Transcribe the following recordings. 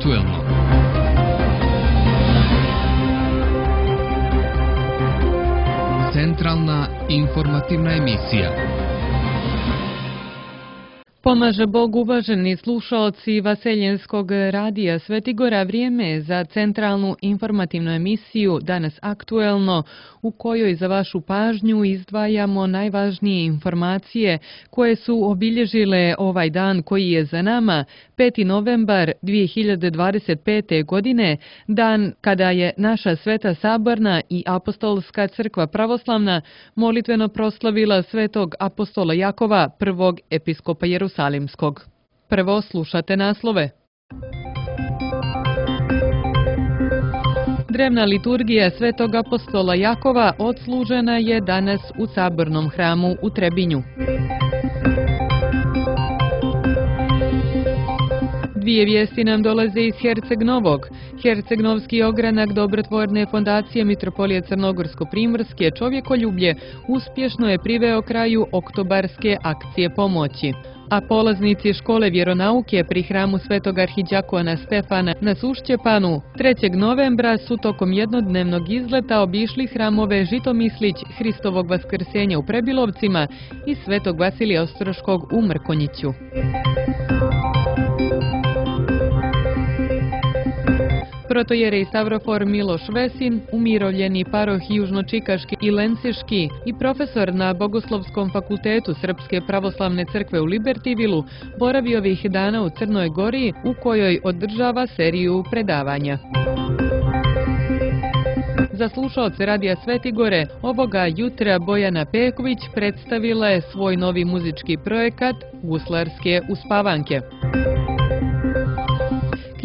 aktuelno. Centralna informativna emisija. Pomaže Bog, uvaženi slušaoci Vaseljenskog radija Svetigora, vrijeme je za centralnu informativnu emisiju Danas aktuelno, u kojoj za vašu pažnju izdvajamo najvažnije informacije koje su obilježile ovaj dan koji je za nama, 5. novembar 2025. godine, dan kada je naša Sveta Saborna i Apostolska crkva pravoslavna molitveno proslavila svetog apostola Jakova, prvog episkopa Jerusalimskog. Prvo slušate naslove. Drevna liturgija svetog apostola Jakova odslužena je danas u Sabornom hramu u Trebinju. Dvije vijesti nam dolaze iz Herceg Novog. Herceg-Novski ogranak Dobrotvorne fondacije Mitropolije Crnogorsko-Primorske Čovjekoljublje uspješno je priveo kraju oktobarske akcije pomoći. A polaznici škole vjeronauke pri hramu Svetog arhidjakona Stefana na Sušćepanu 3. novembra su tokom jednodnevnog izleta obišli hramove Žitomislić, Hristovog vaskrsenja u Prebilovcima i Svetog Vasilija Ostroškog u Mrkonjiću. Protojerej Stavrofor Miloš Vesin, umirovljeni paroh Južnočikaški i Lenciški i profesor na Bogoslovskom fakultetu Srpske pravoslavne crkve u Libertivilu, boravi ovih dana u Crnoj Gori, u kojoj održava seriju predavanja. Za slušaoce Radija Svetigore, ovoga jutra Bojana Peković predstavila je svoj novi muzički projekat Guslarske uspavanke.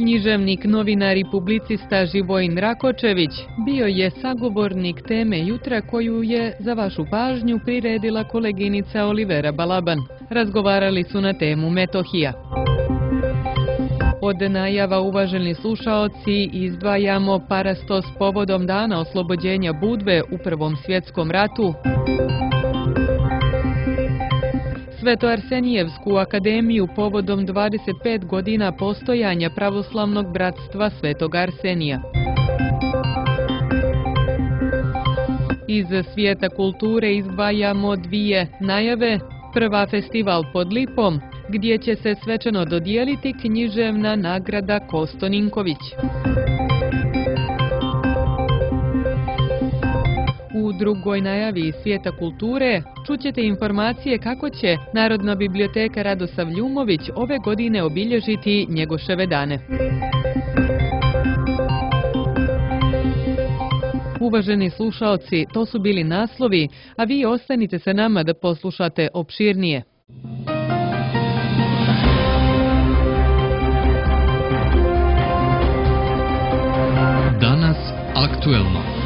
Književnik, novinar i publicista Živojin Rakočević bio je sagovornik teme jutra koju je za vašu pažnju priredila koleginica Olivera Balaban. Razgovarali su na temu Metohija. Od najava, uvaženi slušaoci, izdvajamo parastos povodom dana oslobođenja Budve u Prvom svjetskom ratu, Sveto-Arsenijevsku akademiju povodom 25 godina postojanja pravoslavnog bratstva Svetog Arsenija. Iz svijeta kulture izdvajamo dvije najave. Prva, festival pod Lipom, gdje će se svečano dodijeliti književna nagrada Kosto Ninković. U drugoj najavi iz svijeta kulture čućete informacije kako će Narodna biblioteka Radosav Ljumović ove godine obilježiti Njegoševe dane. Uvaženi slušaoci, to su bili naslovi, a vi ostanite sa nama da poslušate opširnije. Danas aktuelno.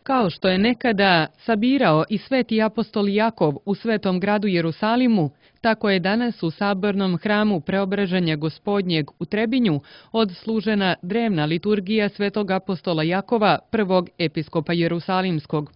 Kao što je nekada sabirao i sveti apostol Jakov u svetom gradu Jerusalimu, tako je danas u Sabornom hramu Preobraženja Gospodnjeg u Trebinju odslužena drevna liturgija svetog apostola Jakova, prvog episkopa Jerusalimskog.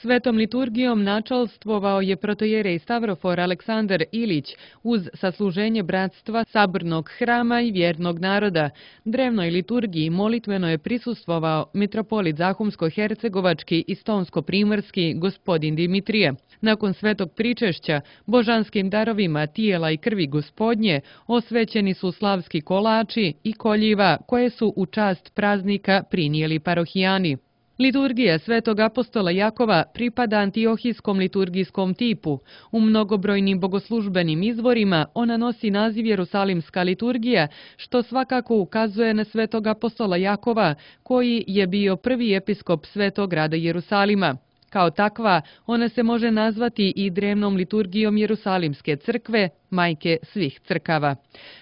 Svetom liturgijom načalstvovao je protojerej Stavrofor Aleksandar Ilić uz sasluženje bratstva Sabornog hrama i vjernog naroda. Drevnoj liturgiji molitveno je prisustvovao mitropolit Zahumsko-Hercegovački i Stonsko-Primorski gospodin Dimitrije. Nakon svetog pričešća, božanskim darovima tijela i krvi Gospodnje osvećeni su slavski kolači i koljiva koje su u čast praznika prinijeli parohijani. Liturgija svetog apostola Jakova pripada antiohijskom liturgijskom tipu. U mnogobrojnim bogoslužbenim izvorima ona nosi naziv Jerusalimska liturgija, što svakako ukazuje na svetog apostola Jakova, koji je bio prvi episkop svetog grada Jerusalima. Kao takva, ona se može nazvati i drevnom liturgijom Jerusalimske crkve, majke svih crkava.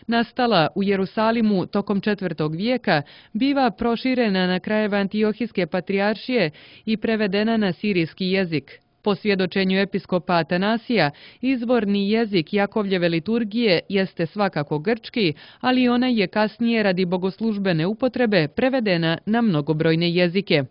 Nastala u Jerusalimu tokom 4. vijeka, biva proširena na krajeve Antiohijske patrijaršije i prevedena na sirijski jezik. Po svjedočenju episkopa Atanasija, izvorni jezik Jakovljeve liturgije jeste svakako grčki, ali ona je kasnije radi bogoslužbene upotrebe prevedena na mnogobrojne jezike.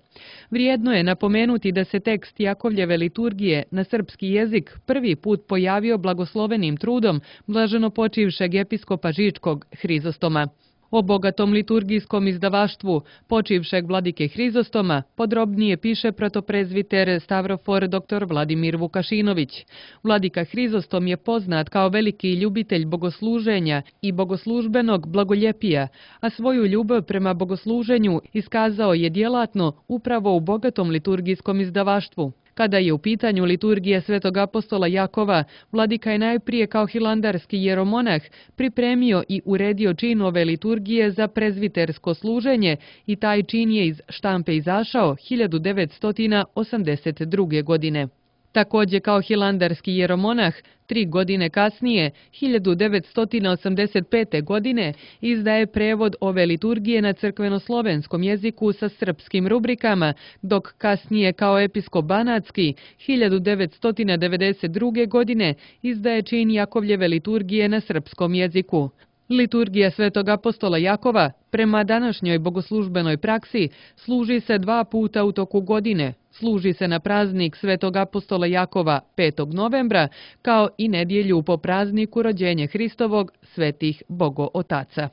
Vrijedno je napomenuti da se tekst Jakovljeve liturgije na srpski jezik prvi put pojavio blagoslovenim trudom blaženopočivšeg episkopa Žičkog Hrizostoma. O bogatom liturgijskom izdavaštvu počivšeg vladike Hrizostoma podrobnije piše protoprezviter Stavrofor dr. Vladimir Vukašinović. Vladika Hrizostom je poznat kao veliki ljubitelj bogosluženja i bogoslužbenog blagoljepija, a svoju ljubav prema bogosluženju iskazao je djelatno upravo u bogatom liturgijskom izdavaštvu. Kada je u pitanju liturgija svetog apostola Jakova, vladika je najprije kao hilandarski jeromonah pripremio i uredio čin ove liturgije za prezvitersko služenje i taj čin je iz štampe izašao 1982. godine. Također kao hilandarski jeromonah, 3 godine kasnije, 1985. godine, izdaje prevod ove liturgije na crkvenoslovenskom jeziku sa srpskim rubrikama, dok kasnije kao episkop banatski, 1992. godine, izdaje čin Jakovljeve liturgije na srpskom jeziku. Liturgija svetog apostola Jakova, prema današnjoj bogoslužbenoj praksi, služi se 2 puta u toku godine. Služi se na praznik svetog apostola Jakova 5. novembra, kao i nedjelju po prazniku rođenja Hristovog svetih Bogootaca.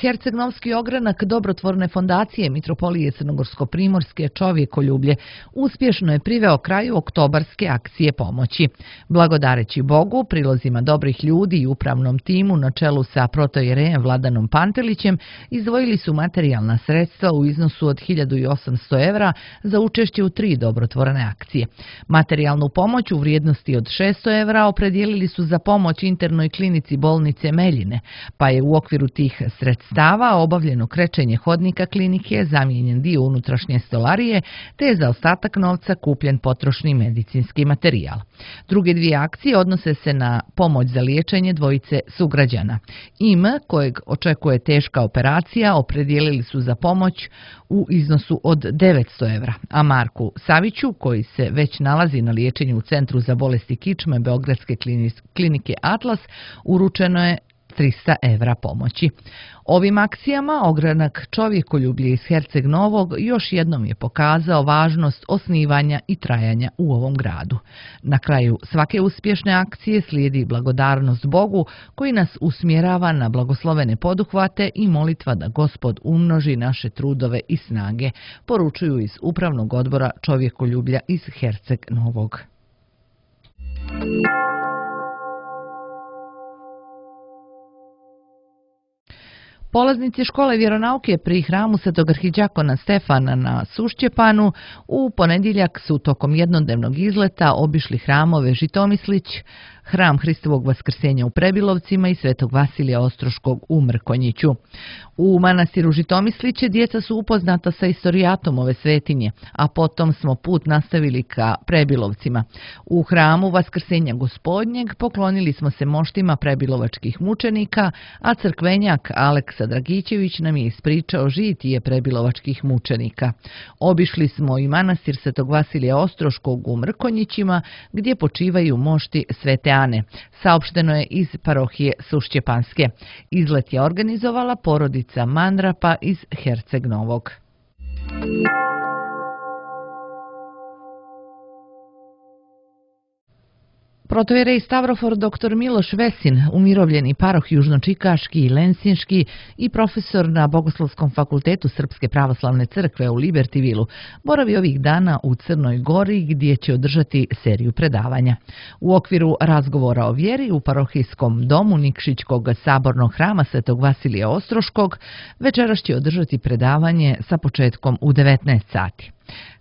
Herceg-Novski ogranak dobrotvorne fondacije Mitropolije Crnogorsko-Primorske Čovjekoljublje uspješno je priveo kraju oktobarske akcije pomoći. Blagodareći Bogu, prilozima dobrih ljudi i upravnom timu na čelu sa protojerejem Vladanom Pantelićem, izdvojili su materijalna sredstva u iznosu od 1800 evra za učešće u 3 dobrotvorne akcije. Materijalnu pomoć u vrijednosti od 600 evra opredijelili su za pomoć internoj klinici bolnice Meljine, pa je u okviru tih sredstava obavljeno krečenje hodnika klinike, zamijenjen dio unutrašnje stolarije, te je za ostatak novca kupljen potrošni medicinski materijal. Druge 2 akcije odnose se na pomoć za liječenje dvojice sugrađana. Im, kojeg očekuje teška operacija, opredijelili su za pomoć u iznosu od 900 evra, a Marku Saviću, koji se već nalazi na liječenju u Centru za bolesti kičme Beogradske klinike Atlas, uručeno je 300 evra pomoći. Ovim akcijama ogranak Čovjekoljublje iz Herceg Novog još jednom je pokazao važnost osnivanja i trajanja u ovom gradu. Na kraju svake uspješne akcije slijedi blagodarnost Bogu koji nas usmjerava na blagoslovene poduhvate i molitva da Gospod umnoži naše trudove i snage, poručuju iz Upravnog odbora Čovjekoljublja iz Herceg Novog. Polaznici škole vjeronauke pri hramu Svetog arhidijakona Stefana na Sušćepanu u ponedjeljak su tokom jednodnevnog izleta obišli hramove Žitomislić, hram Hristovog vaskrsenja u Prebilovcima i Svetog Vasilija Ostroškog u Mrkonjiću. U manastiru Žitomisliće djeca su upoznata sa istorijatom ove svetinje, a potom smo put nastavili ka Prebilovcima. U hramu Vaskrsenja Gospodnjeg poklonili smo se moštima prebilovačkih mučenika, a crkvenjak Aleksa Dragićević nam je ispričao žitije prebilovačkih mučenika. Obišli smo i manastir Svetog Vasilija Ostroškog u Mrkonjićima, gdje počivaju mošti Svete Ane. Saopšteno je iz parohije Sušćepanske. Izlet je organizovala porodica Mandrapa iz Herceg Novog. Protojerej Stavrofor dr. Miloš Vesin, umirovljeni paroh južnočikaški i lensinški i profesor na Bogoslovskom fakultetu Srpske pravoslavne crkve u Libertivilu, boravi ovih dana u Crnoj Gori gdje će održati seriju predavanja. U okviru razgovora o vjeri u parohijskom domu Nikšićkog sabornog hrama Svetog Vasilija Ostroškog večeras će održati predavanje sa početkom u 19 sati.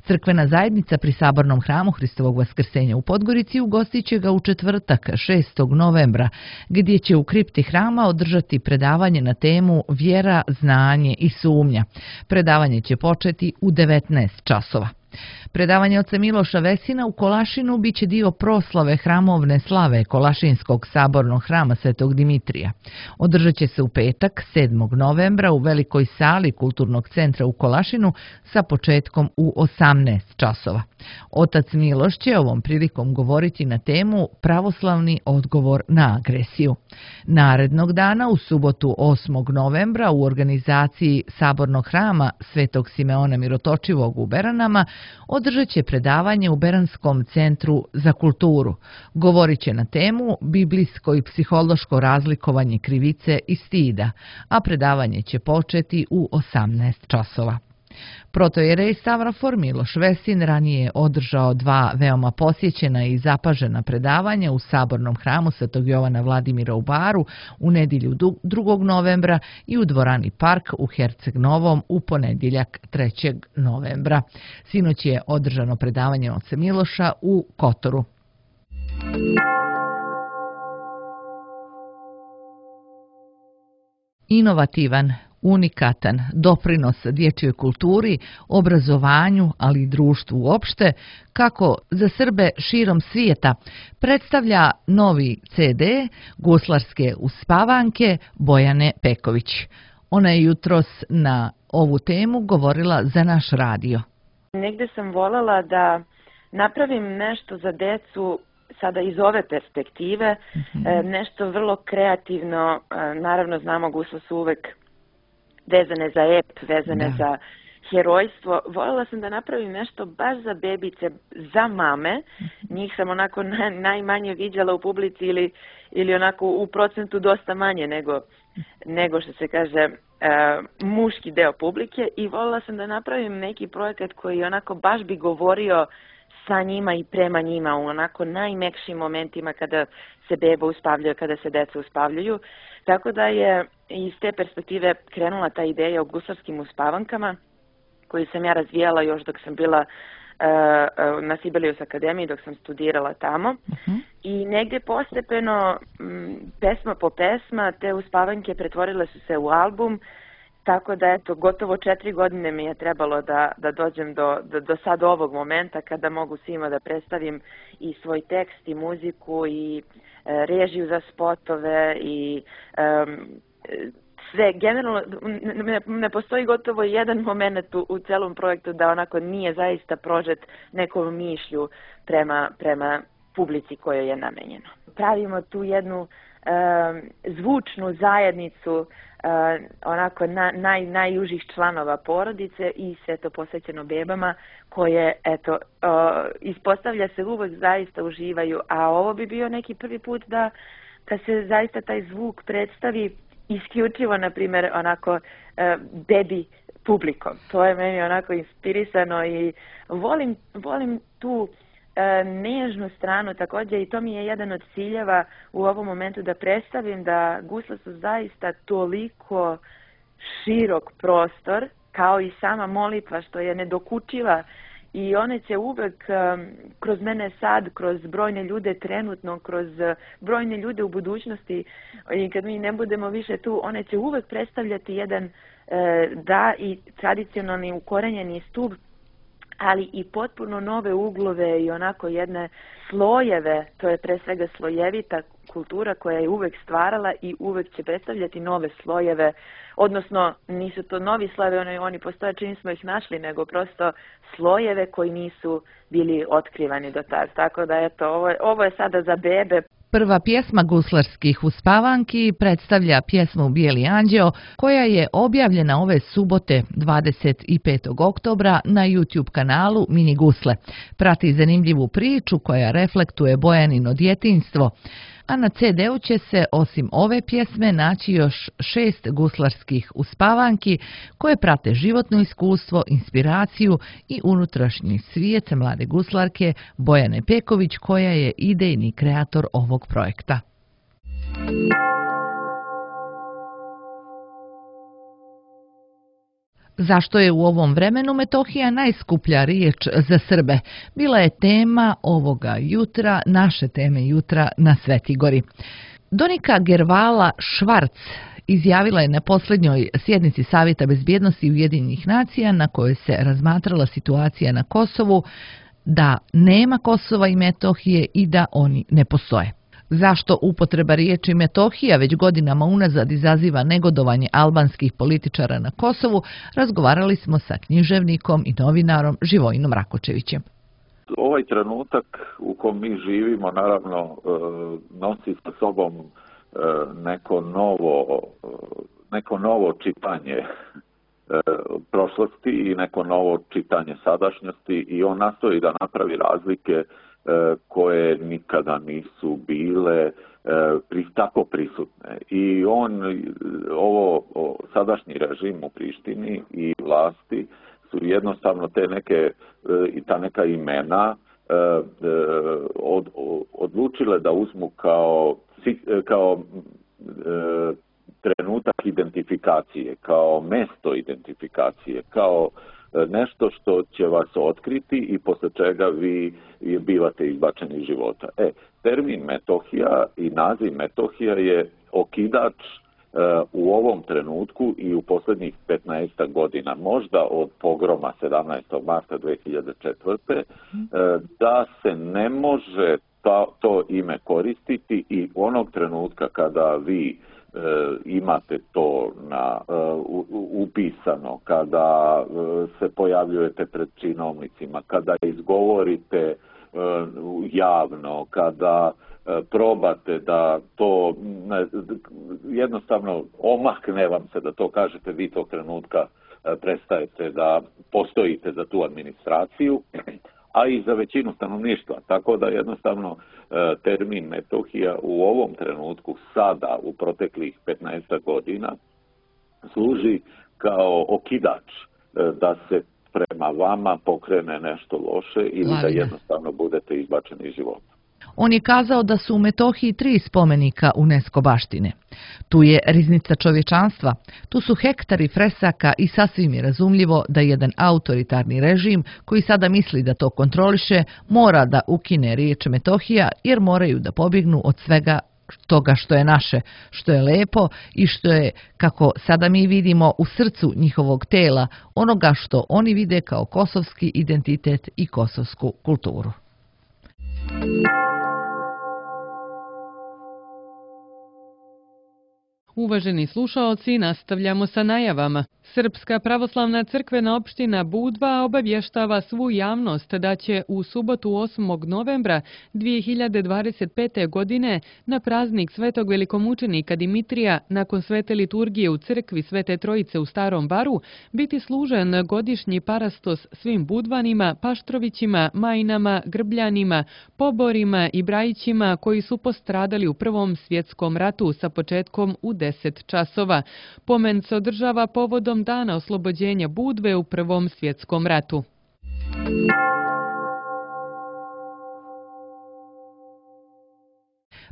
Crkvena zajednica pri sabornom hramu Hristovog vaskrsenja u Podgorici ugostit će ga u četvrtak 6. novembra, gdje će u kripti hrama održati predavanje na temu Vjera, znanje i sumnja. Predavanje će početi u 19 časova. Predavanje oca Miloša Vesina u Kolašinu biće dio proslave hramovne slave Kolašinskog sabornog hrama Svetog Dimitrija. Održat će se u petak 7. novembra u velikoj sali Kulturnog centra u Kolašinu sa početkom u 18 časova. Otac Miloš će ovom prilikom govoriti na temu Pravoslavni odgovor na agresiju. Narednog dana, u subotu 8. novembra, u organizaciji sabornog hrama Svetog Simeona Mirotočivog u Beranama, održat će predavanje u Beranskom centru za kulturu. Govorit će na temu biblijsko i psihološko razlikovanje krivice i stida, a predavanje će početi u 18 časova. Protojerej Stavrofor Miloš Vesin ranije je održao 2 veoma posjećena i zapažena predavanja u Sabornom hramu Svetog Jovana Vladimira u Baru u nedjelju 2. novembra i u dvorani Park u Herceg Novom u ponedjeljak 3. novembra. Sinoć je održano predavanje oca Miloša u Kotoru. Inovativan, unikatan doprinos dječjoj kulturi, obrazovanju, ali i društvu uopšte, kako za Srbe širom svijeta, predstavlja novi CD guslarske uspavanke Bojane Peković. Ona je jutros na ovu temu govorila za naš radio. Negde sam voljela da napravim nešto za decu sada iz ove perspektive, nešto vrlo kreativno. Naravno, znamo, gusle su uvek vezane za ep, vezane za herojstvo. Voljela sam da napravim nešto baš za bebice, za mame. Njih sam onako najmanje viđala u publici ili onako u procentu dosta manje nego što se kaže muški deo publike, i voljela sam da napravim neki projekat koji onako baš bi govorio sa njima i prema njima u onako najmekšim momentima kada se beba uspavljaju, kada se deca uspavljaju. Tako da je iz te perspektive krenula ta ideja o guslarskim uspavankama, koju sam ja razvijala još dok sam bila na Sibelius akademiji, dok sam studirala tamo. I negdje postepeno, pesma po pesma, te uspavanke pretvorile su se u album. Tako da, eto, gotovo 4 godine mi je trebalo da dođem do sad ovog momenta kada mogu svima da predstavim i svoj tekst i muziku i režiju za spotove i sve. Generalno, ne postoji gotovo jedan moment u celom projektu da onako nije zaista prožet nekom mišlju prema publici kojoj je namenjeno. Pravimo tu jednu zvučnu zajednicu onako najužih članova porodice i sve to posvećeno bebama koje, eto, ispostavlja se uvek zaista uživaju, a ovo bi bio neki prvi put da se zaista taj zvuk predstavi isključivo, na primjer, onako bebi publikom. To je meni onako inspirisano i volim tu nežnu stranu također, i to mi je jedan od ciljeva u ovom momentu, da predstavim da gusle su zaista toliko širok prostor kao i sama molitva, što je nedokučiva, i one će uvek kroz mene sad, kroz brojne ljude trenutno, kroz brojne ljude u budućnosti, i kad mi ne budemo više tu, one će uvek predstavljati jedan i tradicionalni ukorenjeni stup, ali i potpuno nove uglove i onako jedne slojeve. To je pre svega slojevita kultura koja je uvek stvarala i uvek će predstavljati nove slojeve, odnosno nisu to novi slojevi, oni postoje čim smo ih našli, nego prosto slojeve koji nisu bili otkrivani do tada. Tako da, eto, ovo je sada za bebe. Prva pjesma guslarskih uspavanki predstavlja pjesmu Bijeli anđeo, koja je objavljena ove subote 25. oktobra na YouTube kanalu Mini Gusle. Prati zanimljivu priču koja reflektuje Bojanino djetinjstvo, a na CD-u će se osim ove pjesme naći još 6 guslarskih uspavanki koje prate životno iskustvo, inspiraciju i unutrašnji svijet mlade guslarke Bojane Peković, koja je idejni kreator ovog projekta. Zašto je u ovom vremenu Metohija najskuplja riječ za Srbe? Bila je tema ovoga jutra, naše teme jutra na Svetigori. Donika Gervala Švarc izjavila je na posljednjoj sjednici Savjeta bezbjednosti Ujedinjenih nacija, na kojoj se razmatrala situacija na Kosovu, da nema Kosova i Metohije i da oni ne postoje. Zašto upotreba riječi Metohija već godinama unazad izaziva negodovanje albanskih političara na Kosovu, razgovarali smo sa književnikom i novinarom Živojinom Rakočevićem. Ovaj trenutak u kom mi živimo naravno nosi sa sobom neko novo čitanje prošlosti i neko novo čitanje sadašnjosti i on nastoji da napravi razlike koje nikada nisu bile tako prisutne. I sadašnji režim u Prištini i vlasti su jednostavno ta neka imena odlučile da uzmu kao trenutak identifikacije, kao mesto identifikacije, kao nešto što će vas otkriti i posle čega vi bivate izbačeni iz života. Termin Metohija i naziv Metohija je okidač u ovom trenutku i u posljednjih 15 godina, možda od pogroma 17. marta 2004. Da se ne može to ime koristiti i onog trenutka kada vi imate to upisano, kada se pojavljujete pred činovnicima, kada izgovorite javno, kada probate da to jednostavno omakne vam se da to kažete, vi tog trenutka prestajete da postojite za tu administraciju, a i za većinu stanovništva. Tako da jednostavno termin Metohija u ovom trenutku, sada u proteklih 15 godina, služi kao okidač da se prema vama pokrene nešto loše ili da jednostavno budete izbačeni iz života. On je kazao da su u Metohiji 3 spomenika UNESCO baštine. Tu je riznica čovječanstva, tu su hektari fresaka i sasvim je razumljivo da jedan autoritarni režim koji sada misli da to kontroliše mora da ukine riječ Metohija jer moraju da pobjegnu od svega toga što je naše, što je lepo i što je, kako sada mi vidimo, u srcu njihovog tela, onoga što oni vide kao kosovski identitet i kosovsku kulturu. Uvaženi slušaoci, nastavljamo sa najavama. Srpska pravoslavna crkvena opština Budva obavještava svu javnost da će u subotu 8. novembra 2025. godine na praznik svetog velikomučenika Dimitrija nakon svete liturgije u crkvi Svete Trojice u Starom Baru biti služen godišnji parastos svim Budvanima, Paštrovićima, Majinama, Grbljanima, Poborima i Brajićima koji su postradali u Prvom svjetskom ratu sa početkom u 10 časova. Pomen se održava povodom dana oslobođenja Budve u Prvom svjetskom ratu.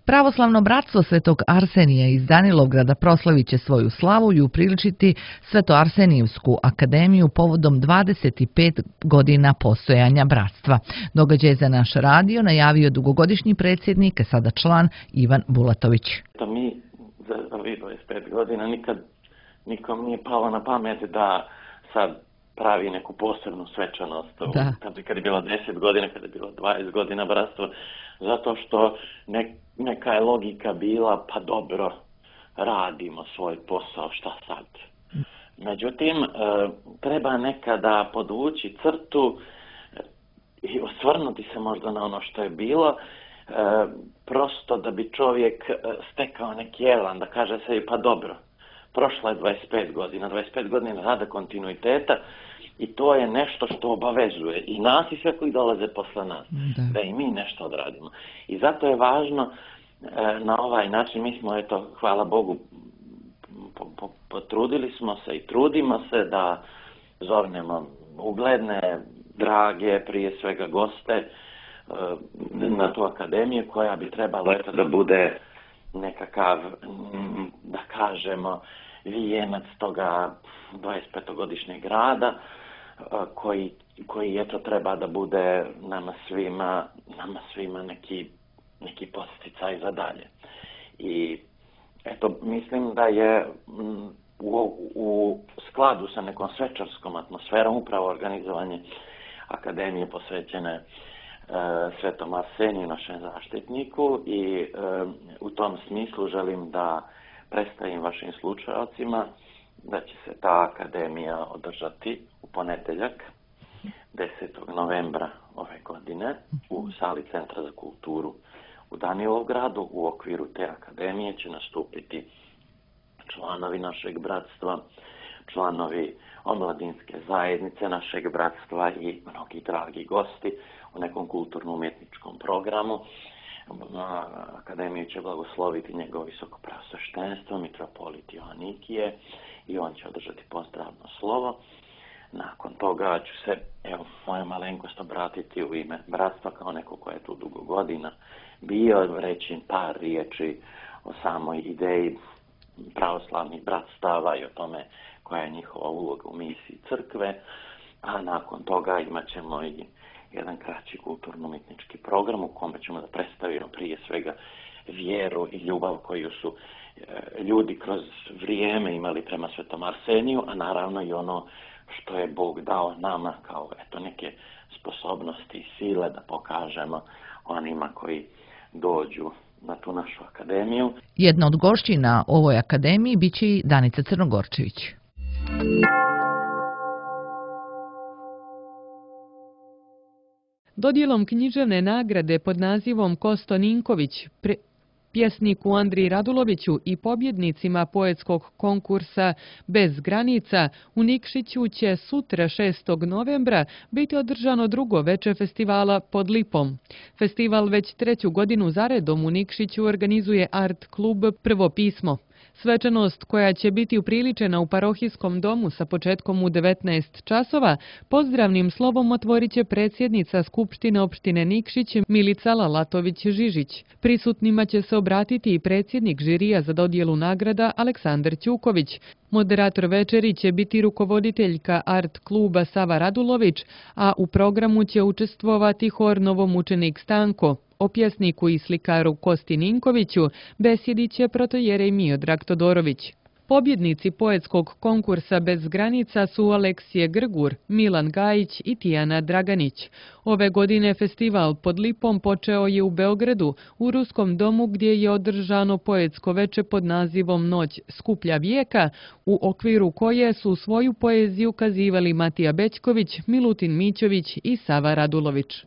Pravoslavno bratstvo Svetog Arsenija iz Danilovgrada proslavit će svoju slavu i upriličiti Sveto-Arsenijevsku akademiju povodom 25 godina postojanja bratstva. Događaj za naš radio najavio dugogodišnji predsjednik, sada član Ivan Bulatović. Mi za ovih 25 godina nikom nije palo na pamet da sad pravi neku posebnu svečanost. Kad je bilo 10 godina, kad je bilo 20 godina bratstvo, zato što neka je logika bila, pa dobro, radimo svoj posao, šta sad? Međutim, treba nekada podvući crtu i osvrnuti se možda na ono što je bilo, prosto da bi čovjek stekao neki elan, da kaže sebi, pa dobro, prošla je 25 godina rada kontinuiteta i to je nešto što obavezuje i nas i sve koji dolaze posle nas, da i mi nešto odradimo. I zato je važno na ovaj način, mi smo, hvala Bogu, potrudili smo se i trudimo se da zovnemo ugledne, drage, prije svega goste na tu akademiju koja bi trebala da bude nekakav, da kažemo, vijenac toga 25-godišnjeg rada koji treba da bude nama svima neki posticaj za dalje. I mislim da je u skladu sa nekom svečarskom atmosferom upravo organizovanje akademije posvećene Svetom Arseniju, našem zaštitniku, i u tom smislu želim da predstavim vašim slušalcima da će se ta akademija održati u ponedjeljak 10. novembra ove godine u sali Centra za kulturu u Danilovgradu. U okviru te akademije će nastupiti članovi našeg bratstva, članovi omladinske zajednice našeg bratstva i mnogi dragi gosti u nekom kulturno-umjetničkom programu. Akademiju će blagosloviti njegovo visoko preosveštenstvo, mitropolit Joanikije, i on će održati pozdravno slovo. Nakon toga ću se, moja malenkost, obratiti u ime bratstva kao neko ko je tu dugo godina bio, reći par riječi o samoj ideji pravoslavnih bratstava i o tome koja je njihova uloga u misiji crkve, a nakon toga imat ćemo i jedan kraći kulturno-umjetnički program u kome ćemo da predstavimo prije svega vjeru i ljubav koju su ljudi kroz vrijeme imali prema Svetom Arseniju, a naravno i ono što je Bog dao nama kao neke sposobnosti i sile da pokažemo onima koji dođu na tu našu akademiju. Jedna od gošći na ovoj akademiji biće i Danica Crnogorčević. Dodjelom književne nagrade pod nazivom Kosto Ninković, pjesniku Andriji Raduloviću i pobjednicima poetskog konkursa Bez granica u Nikšiću će sutra 6. novembra biti održano drugo veče festivala Pod lipom. Festival već 3. godinu zaredom u Nikšiću organizuje art klub Prvo pismo. Svečanost koja će biti upriličena u parohijskom domu sa početkom u 19 časova, pozdravnim slovom otvorit će predsjednica Skupštine opštine Nikšić Milica Lalatović-Žižić. Prisutnima će se obratiti i predsjednik žirija za dodjelu nagrada Aleksandar Ćuković. Moderator večeri će biti rukovoditeljka art kluba Sava Radulović, a u programu će učestvovati hor Novomučenik Stanko. O pjesniku i slikaru Kosti Ninkoviću besjedit će protojerej Miodrag Todorović. Pobjednici poetskog konkursa Bez granica su Aleksije Grgur, Milan Gajić i Tijana Draganić. Ove godine festival Pod lipom počeo je u Beogradu, u Ruskom domu gdje je održano poetsko veče pod nazivom Noć skuplja vijeka, u okviru koje su svoju poeziju kazivali Matija Bećković, Milutin Mićović i Sava Radulović.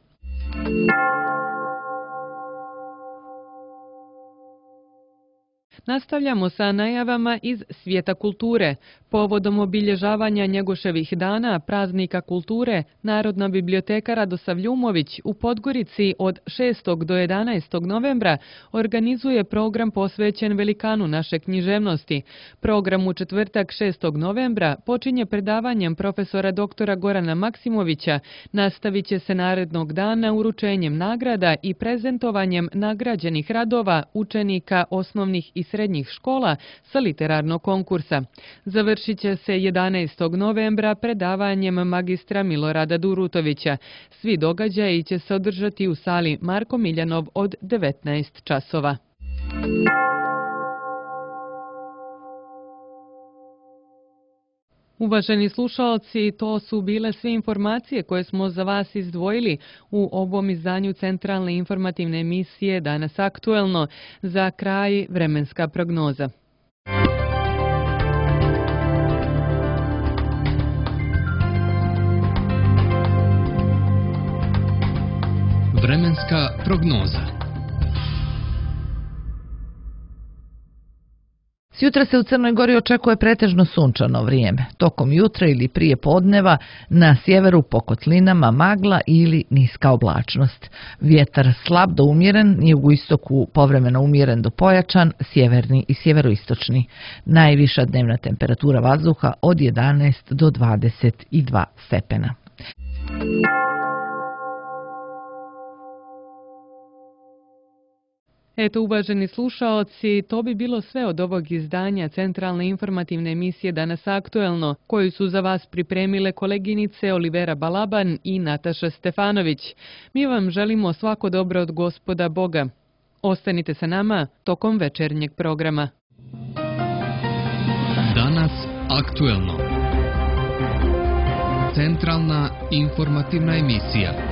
Nastavljamo sa najavama iz svijeta kulture. Povodom obilježavanja Njegoševih dana, praznika kulture, Narodna biblioteka Radosav Ljumović u Podgorici od 6. do 11. novembra organizuje program posvećen velikanu naše književnosti. Program u četvrtak 6. novembra počinje predavanjem profesora doktora Gorana Maksimovića, nastavit će se narednog dana uručenjem nagrada i prezentovanjem nagrađenih radova učenika osnovnih i srednjih škola sa literarnog konkursa. Završit će se 11. novembra predavanjem magistra Milorada Durutovića. Svi događaji će se održati u sali Marko Miljanov od 19 časova. Uvaženi slušalci, to su bile sve informacije koje smo za vas izdvojili u ovom izdanju centralne informativne emisije Danas aktuelno. Za kraj vremenska prognoza. Vremenska prognoza. Sjutra se u Crnoj Gori očekuje pretežno sunčano vrijeme. Tokom jutra ili prije podneva na sjeveru po kotlinama magla ili niska oblačnost. Vjetar slab do umjeren, jugoistoku povremeno umjeren do pojačan, sjeverni i sjeveroistočni. Najviša dnevna temperatura vazduha od 11 do 22 stepena. Eto, uvaženi slušaoci, to bi bilo sve od ovog izdanja centralne informativne emisije Danas aktuelno, koju su za vas pripremile koleginice Olivera Balaban i Nataša Stefanović. Mi vam želimo svako dobro od Gospoda Boga. Ostanite sa nama tokom večernjeg programa. Danas aktuelno. Centralna informativna emisija.